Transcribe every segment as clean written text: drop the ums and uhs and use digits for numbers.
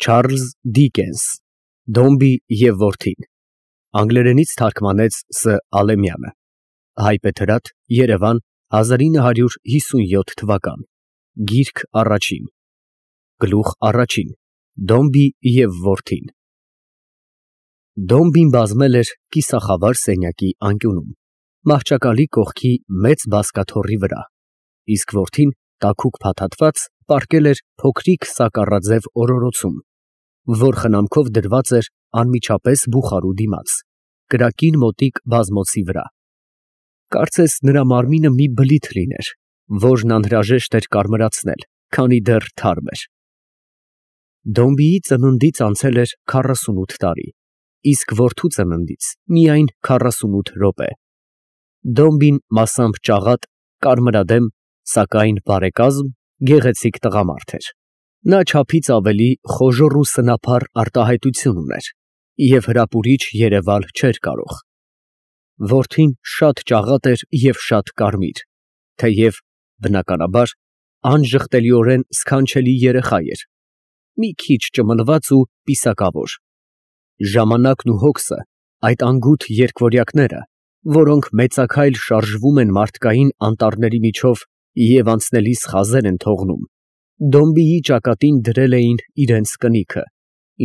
Չարլզ Դիկենս Դոմբի և որդին Անգլերենից թարգմանեց Ս. Ալեմյանը Հայբեթրատ Երևան 1957 Գիրք առաջին Գլուխ առաջին Դոմբի և որդին Դոմբին բազմել էր կիսախավար սենյակի անկյունում, մահճակալի կողքի մեծ բազկաթոռի վրա, իսկ որդին տաքուկ փաթաթված պառկել էր փոքրիկ սակառաձև օրորոցում, որ խնամքով դրված էր անմիջապես բուխարու դիմաց, կրակին մոտիկ բազմոցի վրա, կարծես նրա մարմինը մի բլիթ լիներ, որն անհրաժեշտ էր կարմրացնել, քանի դեռ թարմ էր։ Դոմբիի ծնունդից անցել էր 48 տարի, իսկ որդու ծննդից միայն 48 րոպե։ Դոմբին մասամբ ճաղատ, կարմրադեմ, սակայն բարեկազմ, գեղեցիկ տղամարդ էր։ Նա չափից ավելի խոժոռ ու սնափառ արտահայտություն ուներ և հրապուրիչ երևալ չէր կարող։ Որդին շատ ճաղատ էր և շատ կարմիր, թեև, բնականաբար, անժխտելիորեն սքանչելի երեխա էր, մի քիչ ճմլված ու պիսակավոր։ Ժամանակն ու հոգսը, այդ անգութ երկվորյակները, որոնք մեծաքայլ շարժվում են մարդկային անտառների միջով և անցնելիս խազեր են թողնում, Դոմբիի ճակատին դրել էին իրենց կնիքը,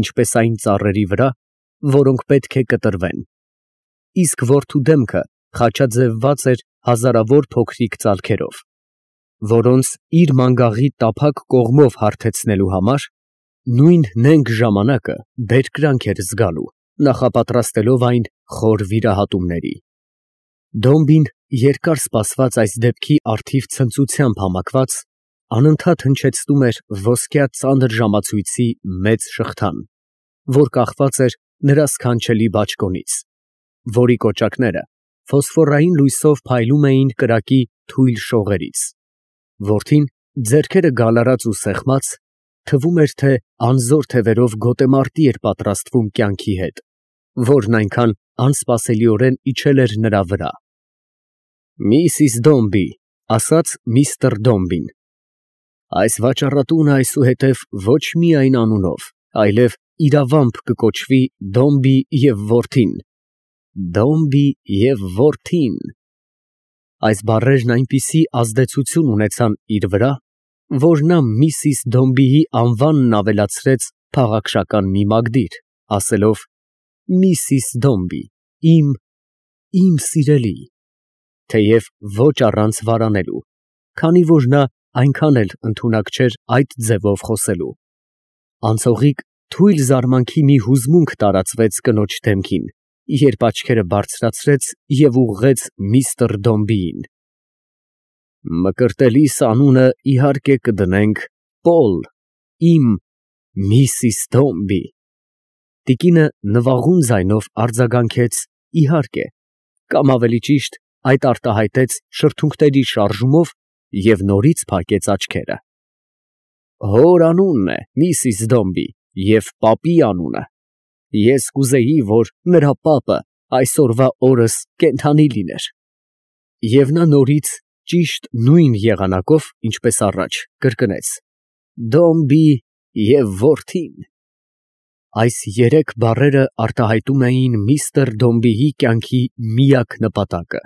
ինչպես այն ծառերի վրա, որոնք պետք է կտրվեն, իսկ որդու դեմքը խաչաձևված էր հազարավոր փոքրիկ ծալքերով, որոնց իր մանգաղի տափակ կողմով հարթեցնելու համար նույն նենգ ժամանակը բերկրանք էր զգալու, նախապատրաստելով այն խոր վիրահատումների։ Դոմբին երկար սպասված այս դեպքի առթիվ ցնծությամբ համակված անընդհատ հնչեցնում էր ոսկյա ծանր ժամացույցի մեծ շղթան, որ կախված էր նրա սքանչելի բաճկոնից, որի կոճակները ֆոսֆորային լույսով փայլում էին կրակի թույլ շողերից։ Որդին, ձեռքերը գալարած ու սեղմած, թվում էր, թե անզոր թևերով գոտեմարտի էր պատրաստվում կյանքի հետ, որն այնքան անսպասելիորեն իջել էր նրա վրա։ «Միսիս Դոմբի», ասաց միստր Դոմբին, «այս վաճառատունը այսուհետև ոչ միայն անունով, այլև իրավամբ կկոչվի Դոմբի և որդին, Դոմբի և որդին»։ Այս բառերն այնպիսի ազդեցություն ունեցան իր վրա, որ նա միսիս Դոմբիի անվանն ավելացրեց փաղաքշական մի մագդիր, ասելով. «Միսիս Դոմբի, իմ սիրելի», թեև ոչ առանց վարանելու, քանի որ նա այնքան էլ ընդունակ չէր այդ ձևով խոսելու։ Անցողիկ թույլ զարմանքի մի հուզմունք տարածվեց կնոջ դեմքին, երբ աչքերը բարձրացրեց և ուղղեց միստր Դոմբիին։ «Մկրտելիս անունը իհարկե կդնենք Պոլ, իմ Միսիս Դոմբի»։ Տիկինը նվաղուն ձայնով արձագանքեց իհարկե, կամ ավելի ճիշտ այդ արտահայտեց շրթունքների շարժումով և նորից փակեց աչքերը։ «Հոր անունն է Միսիս Դոմբի և պապի անունը։ Ես կուզեի, որ նրա պապը այսօրվա օրս կենդանի լիներ»։ Եվ նա նորից ճիշտ նույն եղանակով, ինչպես առաջ, կրկնեց. «Դոմբի և որդին»։ Այս երեք բառերը արտահայտում էին միստր Դոմբիի կյանքի միակ նպատակը։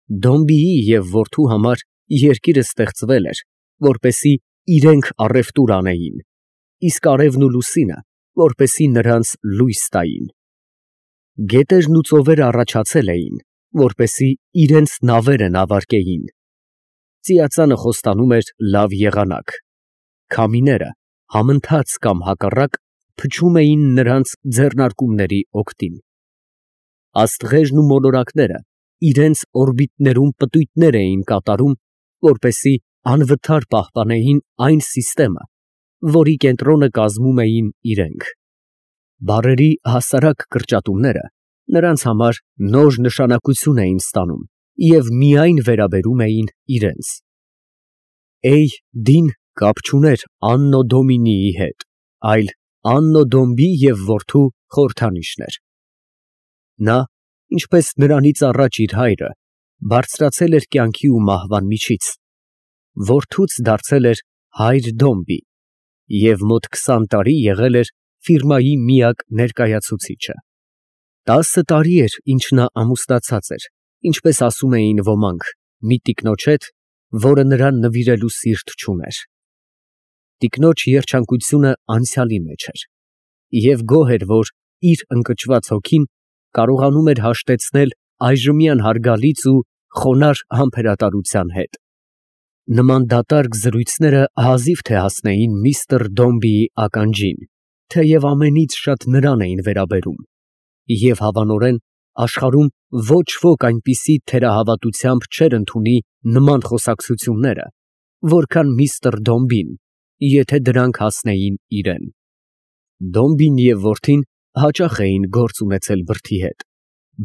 Դոմբիի և որդու համար երկիրը ստեղծվել էր, որպեսզի իրենք առևտուր անեին, իսկ արևն ու լուսինը, որպեսզի նրանց լույս տային։ Գետերն ու ծովերը առաջացել էին, որպեսզի իրենց նավերը նավարկեին։ Ծիածանը խոստանում էր լավ եղանակ։ Քամիները համընթաց կամ հակառակ փչում էին նրանց ձեռնարկումների օգտին։ Աստղերն ու մոլորակները իրենց օրբիտներում պտույտներ էին կատարում, որպեսզի անվթար պահպանեին այն սիստեմը, որի կենտրոնը կազմում էին իրենք։ Բառերի հասարակ կրճատումները նրանց համար նոր նշանակություն էին ստանում և միայն վերաբերում էին իրենց։ Դին կապ չուներ Աննո Դոմինիի հետ, այլ Աննո Դոմբի և որդու խորհրդանիշն էր։ Նա, ինչպես նրանից առաջ իր հայրը, բարձրացել էր կյանքի ու մահվան միջից, որդուց դարձել էր հայր Դոմբի, և մոտ 20 տարի եղել էր ֆիրմայի միակ ներկայացուցիչը։ 10 տարի էր, ինչ նա ամուսնացած էր, ինչպես ասում էին ոմանք, մի տիկնոջ հետ, որը նրան նվիրելու սիրտ չուներ։ Տիկնոջ երջանկությունը անցյալի մեջ էր, և գոհ էր, որ իր ընկճված հոգին կարողանում էր հաշտեցնել այժմյան հարգալից ու խոնարհ համբերատարության հետ։ Նման դատարկ զրույցները հազիվ թե հասնեին միստր Դոմբիի ականջին, թեև ամենից շատ նրան էին վերաբերում, և հավանորեն աշխարհում ոչ ոք այնպիսի թերահավատությամբ չէր ընդունի նման խոսակցությունները, որքան միստր Դոմբին, եթե դրանք հասնեին իրան։ Դոմբին և որդին հաճախ էին գործ ունեցել բրդի հետ,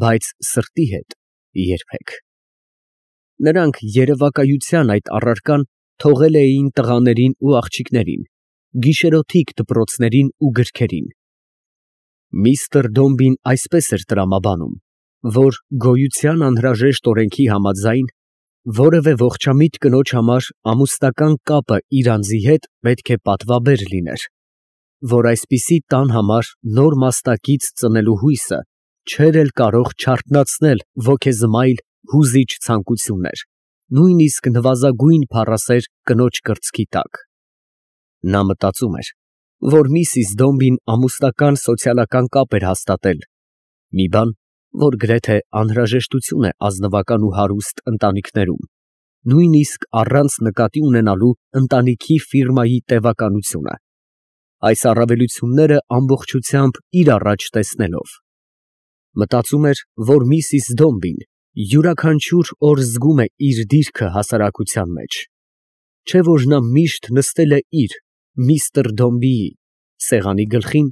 բայց սրտի հետ երբեք։ Նրանք երևակայության այդ առարկան թողել էին տղաներին ու աղջիկներին, գիշերօթիկ դպրոցներին ու գրքերին։ Միստր Դոմբին այսպես էր տրամաբանում, որ գոյության անհրաժեշտ օրենքի համաձայն որևէ ողջամիտ կնոջ համար ամուսնական կապը իր անձի հետ պետք է պատվաբեր լիներ, որ այսպիսի տան համար նոր մաստակից ծնելու հույսը չէր էլ կարող չարթնացնել ոգեզմայլ հուզիչ ցանկություններ, նույնիսկ նվազագույն փառասեր կնոջ կրծքի տակ։ Նա մտածում էր, որ միսիս Դոմբին ամուսնական սոցիալական կապ էր հաստատել, մի բան, որ գրեթե անհրաժեշտություն է ազնվական ու հարուստ ընտանիքներում, նույնիսկ առանց նկատի ունենալու ընտանիքի ֆիրմայի տևականությունը, այս առավելությունները ամբողջությամբ իր առաջ տեսնելով։ Մտածում էր, որ միսիս Դոմբին յուրաքանչյուր օր զգում է իր դիրքը հասարակության մեջ, չէ՞ որ նա միշտ նստել է իր՝ միստր Դոմբիի սեղանի գլխին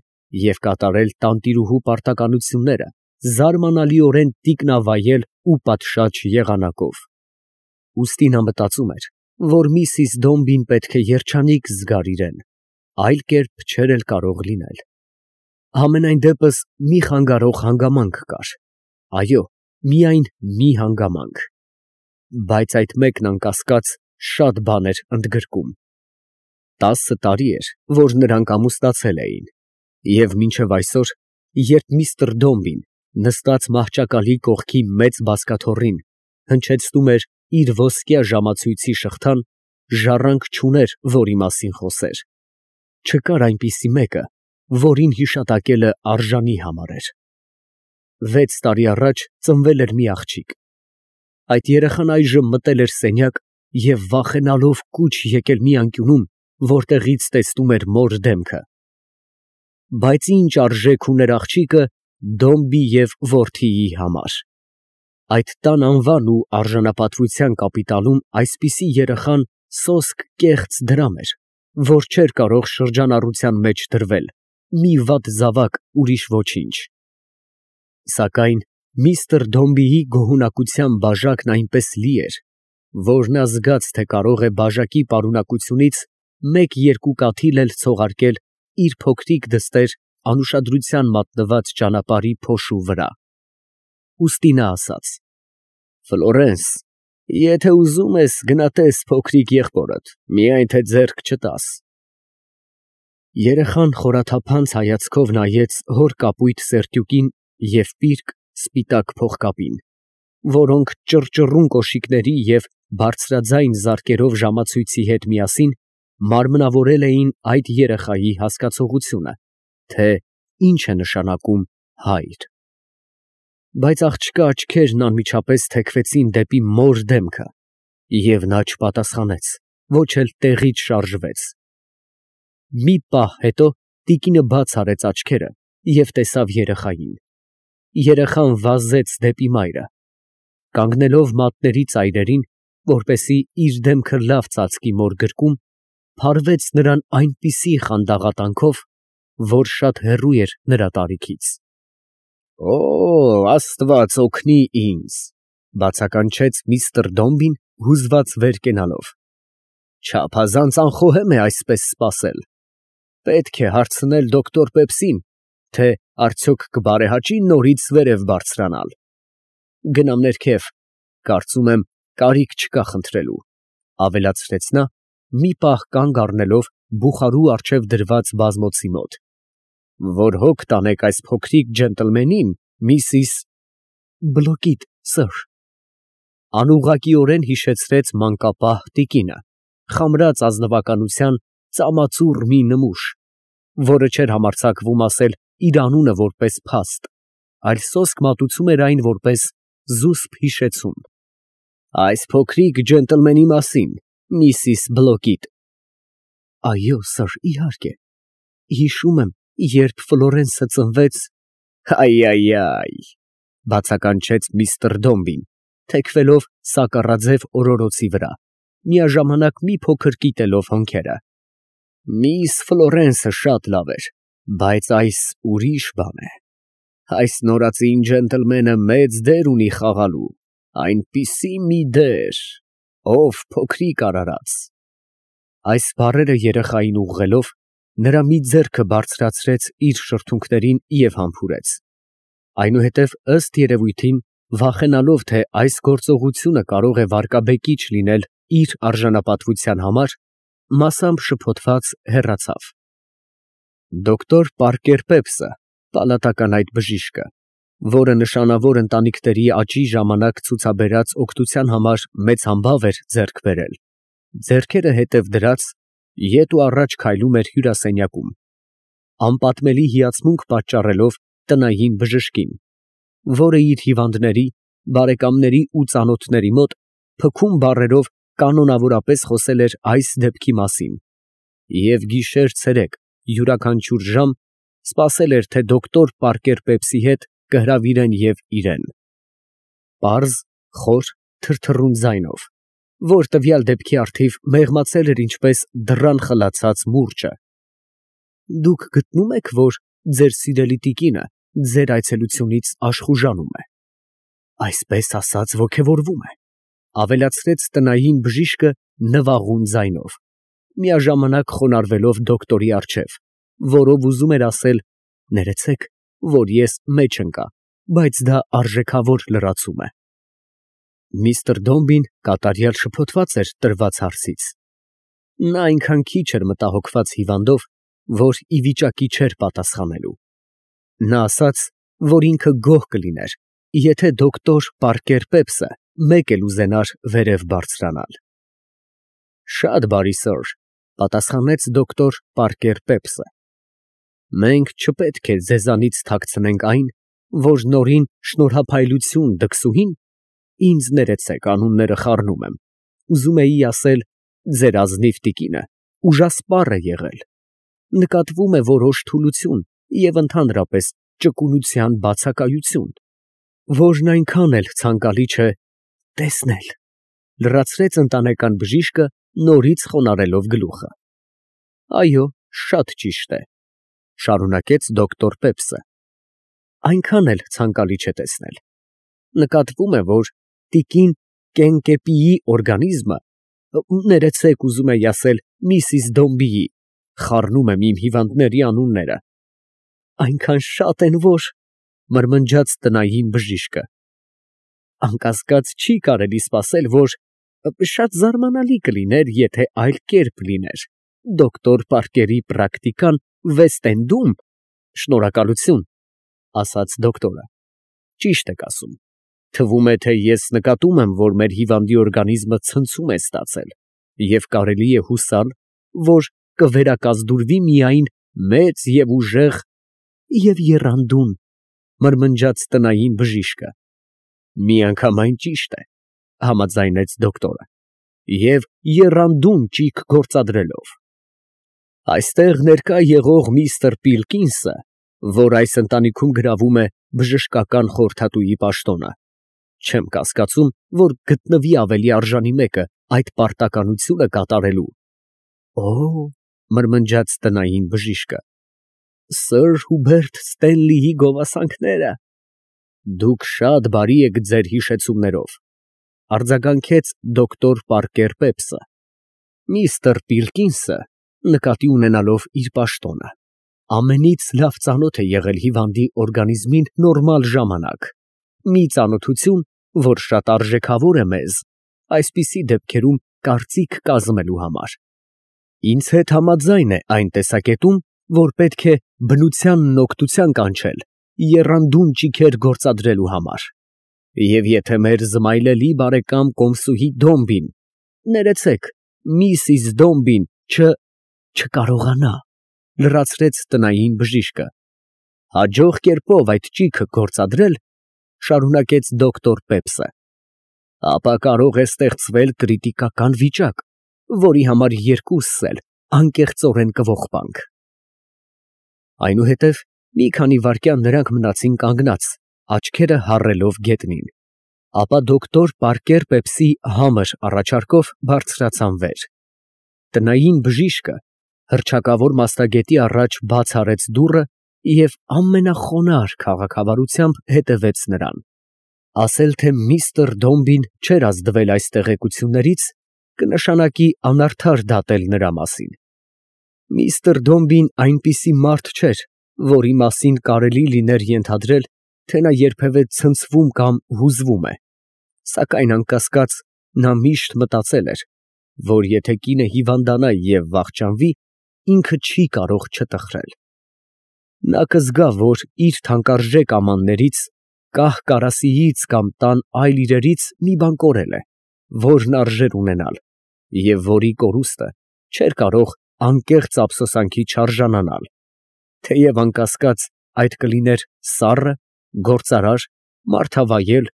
և կատարել տանտիրուհու պարտականությունները զարմանալիորեն տիկնավայել ու պատշաճ եղանակով։ Ուստի նա մտածում էր, որ միսիս Դոմբին պետք է երջանիկ զգար իրան, այլ կերպ չէր էլ կարող լինել։ Համենայն դեպս մի խանգարող հանգամանք կար, այո, միայն մի հանգամանք, բայց այդ մեկն անկասկած շատ բան էր ընդգրկում։ 10 տարի էր, որ նրանք ամուսնացել էին, և մինչև այսօր, երբ միստր Դոմբին, նստած մահճակալի կողքի մեծ բազկաթոռին, հնչեցնում էր իր ոսկյա ժամացույցի շղթան, ժառանգ չուներ, որի մասին խոսեր։ Չկար այնպիսի մեկը, որին հիշատակելը արժանի համարեր։ 6 տարի առաջ ծնվել էր մի աղջիկ։ Այդ երեխան այժմ մտել էր սենյակ և վախենալով կուչ եկել մի անկյունում, որտեղից տեսնում էր մոր դեմքը։ Բայց ինչ արժեք ուներ աղջիկը Դոմբի և որդիի համար։ Այդ տան անվան ու արժանապատվության կապիտալում այսպիսի երեխան սոսկ կեղծ դրամ էր, որ չէր կարող շրջանառության մեջ դրվել, մի վատ զավակ, ուրիշ ոչինչ։ Սակայն միստր Դոմբիի գոհունակության բաժակն այնպես լի էր, որ նա զգաց, թե կարող է բաժակի պարունակությունից մեկ-երկու կաթիլ էլ ցողարկել իր փոքրիկ դստեր անուշադրության մատնված ճանապարհի փոշու վրա։ Ուստի նա ասաց. «Ֆլորենս, եթե ուզում ես, գնա տես փոքրիկ եղբորդ, միայն թե ձեռք չտաս»։ Երեխան խորաթափանց հայացքով նայեց հոր կապույտ սերտյուկին և պիրկ սպիտակ փողկապին, որոնք ճռճռուն կոշիկների և բարձրաձայն զարկերով ժամացույցի հետ միասին մարմնավորել էին այդ երեխայի հասկացողությունը, թե ինչ է նշանակում հայր։ Բայց աղջկա աչքերն անմիջապես թեքվեցին դեպի մոր դեմքը, և նա չպատասխանեց, ոչ էլ տեղից շարժվեց։ Մի պահ հետո տիկինը բաց արեց աչքերը և տեսավ երեխային։ Երեխան վազեց դեպի մայրը։ Կանգնելով մատների ծայրերին, որպեսզի իր դեմքը լավ ծածկի մոր գրկում, փարվեց նրան այնպիսի խանդաղատանքով, որ շատ հեռու էր նրա տարիքից։ «Օ, Աստված օգնի ինձ», ֊ բացականչեց միստր Դոմբին, հուզված վեր կենալով։ «Չափազանց անխոհեմ է այսպես սպասել։ Պետք է հարցնել դոկտոր Պեպսին, թե արդյոք կբարեհաճի նորից վերև բարձրանալ։ Գնամ ներքև, կարծում եմ, կարիք չկա խնդրելու», ֊ ավելացրեց նա մի պահ կանգ առնելով բուխարու առջև դրված բազմոցի մոտ։ Որ հոգ տանեք այս փոքրիկ ջենտլմենին, Միսիս… Բլոկիդ, սըր։ Անուղղակիորեն հիշեցրեց մանկապահ տիկինը, խամրած ազնվականության ծամածուռ մի նմուշ, որը չէր համարձակվում ասել իր անունը որպես փաստ, այլ սոսկ մատուցում էր այն որպես զուսպ հիշեցում։ Այս փոքրիկ ջենտլմենի մասին, Միսիս Բլոկիդ։ Այո, սըր, իհարկե։ Հիշում եմ, երբ Ֆլորենսը ծնվեց… Բացականչեց միստր Դոմբին, թեքվելով սակառաձև օրորոցի վրա, միաժամանակ մի փոքր կիտելով հոնքերը։ Միս Ֆլորենսը շատ լավ էր, բայց այս ուրիշ բան է։ Այս նորածին ջենտլմենը մեծ դեր ունի խաղալու, այնպիսի մի դեր, ով փոքրիկ արարած… Այս բառերը երեխային ուղղելով, նրա մի ձեռքը բարձրացրեց իր շրթունքներին և համբուրեց։ Այնուհետև, ըստ երևույթին, վախենալով, թե այս գործողությունը կարող է վարկաբեկիչ լինել իր արժանապատվության համար, մասամբ շփոթված հեռացավ։ Դոկտոր Պարկեր Պեպսը, պալատական այդ բժիշկը, որը նշանավոր ընտանիքների աճի ժամանակ ցուցաբերած օգնության համար մեծ համբավ էր ձեռք բերել, ձեռքերը հետև դրած, ետ ու առաջ քայլում էր հյուրասենյակում, անպատմելի հիացմունք պատճառելով տնային բժշկին, որը իր հիվանդների, բարեկամների ու ծանոթների մոտ փքուն բառերով կանոնավորապես խոսել էր այս դեպքի մասին և գիշեր֊ցերեկ յուրաքանչյուր ժամ սպասել էր, թե դոկտոր Պարկեր Պեպսի հետ կհրավիրեն և իրեն։ Պարզ, խոր, թրթռուն ձայնով, որ տվյալ դեպքի առթիվ մեղմացել էր ինչպես դռան խլացած մուրճը։ Դուք գտնում եք, որ ձեր սիրելի տիկինը ձեր այցելությունից աշխուժանում է, այսպես ասած ոգևորվում է, ավելացրեց տնային բժիշկը նվաղուն ձայնով, միաժամանակ խոնարհվելով դոկտորի առջև, որով ուզում էր ասել. ներեցեք, որ ես մեջ ընկա, բայց դա արժեքավոր լրացում է։ Միստր Դոմբին կատարյալ շփոթված էր տրված հարցից։ Նա այնքան քիչ էր մտահոգված հիվանդով, որ ի վիճակի չէր պատասխանելու։ Նա ասաց, որ ինքը գոհ կլիներ, եթե դոկտոր Պարկեր Պեպսը մեկ էլ ուզենար վերև բարձրանալ։ Շատ բարի, սըր, պատասխանեց դոկտոր Պարկեր Պեպսը։ Մենք չպետք է ձեզանից թաքցնենք այն, որ նորին շնորհափայլություն դքսուհին, ինձ ներեցեք, անունները խառնում եմ, ուզում էի ասել, ձեր ազնիվ տիկինը ուժասպառ է եղել, նկատվում է որոշ թուլություն և ընդհանրապես ճկունության բացակայություն, որն այնքան էլ ցանկալի չէ տեսնել, լրացրեց ընտանեկան բժիշկը, նորից խոնարհելով գլուխը։ Այո, շատ ճիշտ է, շարունակեց դոկտոր Պեպսը, այնքան էլ ցանկալի չէ տեսնել, նկատվում է, որ տիկին Կենկեպիի օրգանիզմը, ներեցեք, ուզում էի ասել Միսիս Դոմբիի, խառնում եմ իմ հիվանդների անունները, այնքան շատ են, որ… մրմնջաց տնային բժիշկը, անկասկած չի կարելի սպասել, որ… շատ զարմանալի կլիներ, եթե այլ կերպ լիներ, դոկտոր Պարկերի պրակտիկան Վեստ֊Էնդում… Շնորհակալություն, ասաց դոկտորը, ճիշտ եք ասում, թվում է, թե ես նկատում եմ, որ մեր հիվանդի օրգանիզմը ցնցում է ստացել և կարելի է հուսալ, որ կվերակազդուրվի միայն մեծ և ուժեղ… և եռանդուն, մրմնջաց տնային բժիշկը։ Միանգամայն ճիշտ է, համաձայնեց դոկտորը, և եռանդուն ճիգ գործադրելով։ Այստեղ ներկա եղող միստր Պիլկինսը, որ այս ընտանիքում գրավում է բժշկական խորհրդատուի պաշտոնը, չեմ կասկածում, որ գտնվի ավելի արժանի մեկը այդ պարտականությունը կատարելու։ Օ՜, մրմնջաց տնային բժիշկը, սըր Հուբերտ Ստենլիի գովասանքները… Դուք շատ բարի եք ձեր հիշեցումներով, արձագանքեց դոկտոր Պարկեր Պեպսը։ Միստր Պիլկինսը, նկատի ունենալով իր պաշտոնը, ամենից լավ ծանոթ է եղել հիվանդի օրգանիզմին նորմալ ժամանակ, մի ծանոթություն, որ շատ արժեքավոր է մեզ այսպիսի դեպքերում կարծիք կազմելու համար։ Ինձ հետ համաձայն է այն տեսակետում, որ պետք է բնությանն օգտության կանչել եռանդուն ճիգեր գործադրելու համար, և եթե մեր զմայլելի բարեկամ կոմսուհի Դոմբին, ներեցեք, Միսիս Դոմբին չկարողանա, լրացրեց տնային բժիշկը, հաջող կերպով այդ ճիգը գործադրել, շարունակեց դոկտոր Պեպսը, ապա կարող է ստեղծվել կրիտիկական վիճակ, որի համար երկուսս էլ անկեղծորեն կողբանք։ Այնուհետև մի քանի վայրկյան նրանք մնացին կանգնած, աչքերը հառելով գետնին, ապա դոկտոր Պարկեր Պեպսի համր առաջարկով բարձրացան վեր։ Տնային բժիշկը հռչակավոր մասնագետի առաջ բաց արեց դուռը և ամենախոնարհ քաղաքավարությամբ հետևեց նրան։ Ասել, թե միստր Դոմբին չէր ազդվել այս տեղեկություններից, կնշանակի անարդար դատել նրա մասին։ Միստր Դոմբին այնպիսի մարդ չէր, որի մասին կարելի լիներ ենթադրել, թե նա երբևէ ցնցվում կամ հուզվում է, սակայն անկասկած, նա միշտ մտածել էր, որ եթե կինը հիվանդանա և վախճանվի, ինքը չի կարող չտխրել։ Նա կզգա, որ իր թանկարժեք ամաններից, կահ֊կարասիից կամ տան այլ իրերից մի բան կորել է, որն արժեր ունենալ, և որի կորուստը չէր կարող անկեղծ ափսոսանքի չարժանանալ, թեև անկասկած, այդ կլիներ սառը, գործարար, մարդավայել,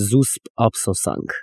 զուսպ ափսոսանք։